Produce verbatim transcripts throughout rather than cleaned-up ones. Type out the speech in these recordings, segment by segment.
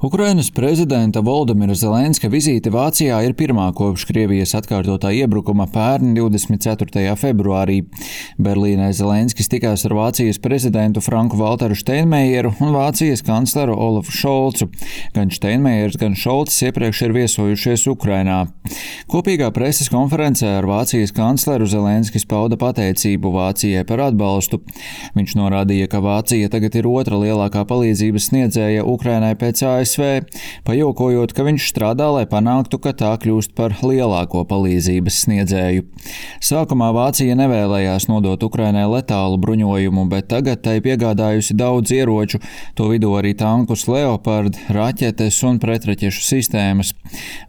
Ukrainas prezidenta Voldemira Zelenska vizīte Vācijā ir pirmā kopš Krievijas atkārtotā iebrukuma pērn divdesmit ceturtajā februārī. Berlīnē Zelenskis tikās ar Vācijas prezidentu Franku Valteru Steinmeieru un Vācijas kancleru Olafu Šolcu. Gan Steinmeiers, gan Šolcs iepriekš ir viesojušies Ukrainā. Kopīgā preses konferencē ar Vācijas kancleru Zelenskis pauda pateicību Vācijai par atbalstu. Viņš norādīja, ka Vācija tagad ir otra lielākā palīdzības sniedzēja Ukrainai pēc A S V, pajokojot, ka viņš strādā, lai panāktu, ka tā kļūst par lielāko palīdzības sniedzēju. Sākumā Vācija nevēlējās nodot Ukrainai letālu bruņojumu, bet tagad tai piegādājusi daudz ieroču, to vidū arī tankus Leopard, raķetes un pretraķešu sistēmas.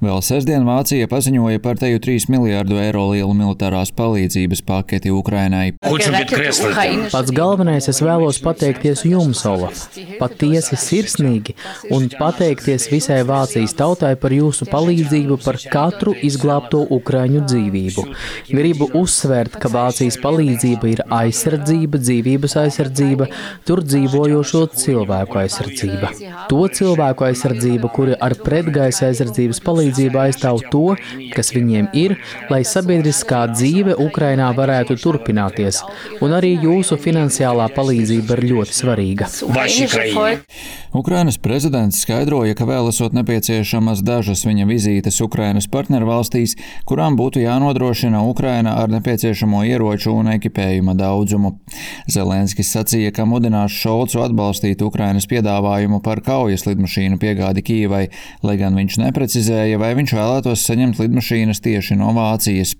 Vēl sestdien Vācija paziņoja par teju trīs miljārdu eiro lielu militārās palīdzības paketi Ukrainai. Pats galvenais es vēlos pateikties jums, Olaf, patiesi sirsnīgi un pateikties visai Vācijas tautai par jūsu palīdzību par katru izglābto ukraiņu dzīvību. Gribu uzsvērt, ka Vācijas palīdzība ir aizsardzība, dzīvības aizsardzība, tur dzīvojošo cilvēku aizsardzība. To cilvēku aizsardzība, kuri ar pretgaisa aizsardzības palīdzību aizstāv to, kas viņiem ir, lai sabiedriskā dzīve Ukrainā varētu turpināties. Un arī jūsu finansiālā palīdzība ir ļoti svarīga. Ukrainas prezidents skaidroja, ka vēl esot nepieciešamas dažas viņa vizītes Ukrainas partnervalstīs, kurām būtu jānodrošina Ukraina ar nepieciešamo ieroču un ekipējuma daudzumu. Zelenskis sacīja, ka mudinās Šolcu atbalstīt Ukrainas piedāvājumu par kaujas lidmašīnu piegādi Kijevai, lai gan viņš neprecizēja, vai viņš vēlētos saņemt lidmašīnas tieši no Vācijas.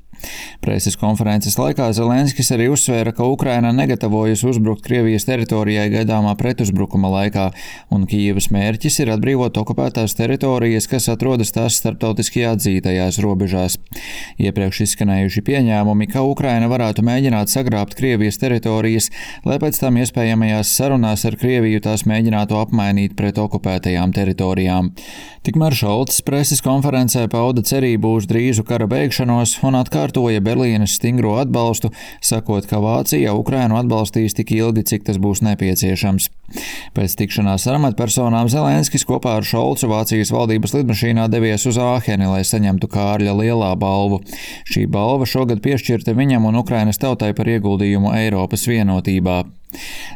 Preses konferences laikā Zelenskis arī uzsvēra, ka Ukraina negatavojas uzbrukt Krievijas teritorijai gaidāmā pretuzbrukuma laikā, un Kijevas mērķis ir atbrīvot okupētās teritorijas, kas atrodas tās starptautiski atzītajās robežās. Iepriekš izskanējuši pieņēmumi, ka Ukraina varētu mēģināt sagrābt Krievijas teritorijas, lai pēc tam iespējamajās sarunās ar Krieviju tās mēģinātu apmainīt pret okupētajām teritorijām. Tikmēr Šolcs preses konferencē pauda cerību uz drīzu kara beigšanos un atkārtoja Berlīnes stingro atbalstu, sakot, ka Vācija Ukrainu atbalstīs tik ilgi, cik tas būs nepieciešams. Pēc tikšanās ar amatpersonām Zelenskis kopā ar Šolcu Vācijas valdības lidmašīnā devies uz Āheni, lai saņemtu Kārļa lielā balvu. Šī balva šogad piešķirta viņam un Ukrainas tautai par ieguldījumu Eiropas vienotībā.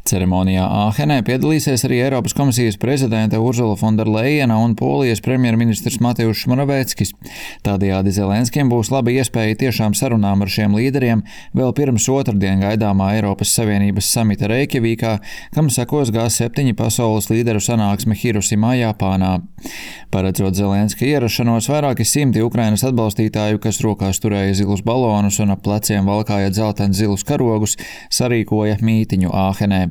Ceremonijā Āhenē piedalīsies arī Eiropas komisijas prezidente Urzula Fonderlejena un Polijas premjerministrs Mateušs Moraveckis. Tādējādi Zelenskim būs laba iespēja tiešām sarunām ar šiem līderiem vēl pirms otrdien gaidāmā Eiropas Savienības samita Reikjavīkā, kam sekos G septiņi pasaules līderu sanāksme Hirosimā, Japānā. Paredzot Zelenska ierašanos, vairāki simti Ukrainas atbalstītāju, kas rokās turēja zilus balonus un ap pleciem valkāja dzeltens zilus karogus, sarīkoja mītiņu Āhenē.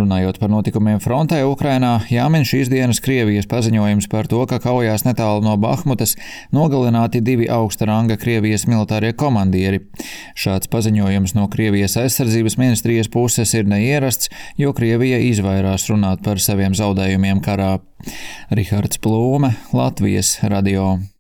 Runājot par notikumiem frontē Ukrainā, jāmin šīs dienas Krievijas paziņojums par to, ka kaujās netālu no Bahmutas nogalināti divi augsta ranga Krievijas militārie komandieri. Šāds paziņojums no Krievijas aizsardzības ministrijas puses ir neierasts, jo Krievija izvairās runāt par saviem zaudējumiem karā. Rihards Plūme, Latvijas radio.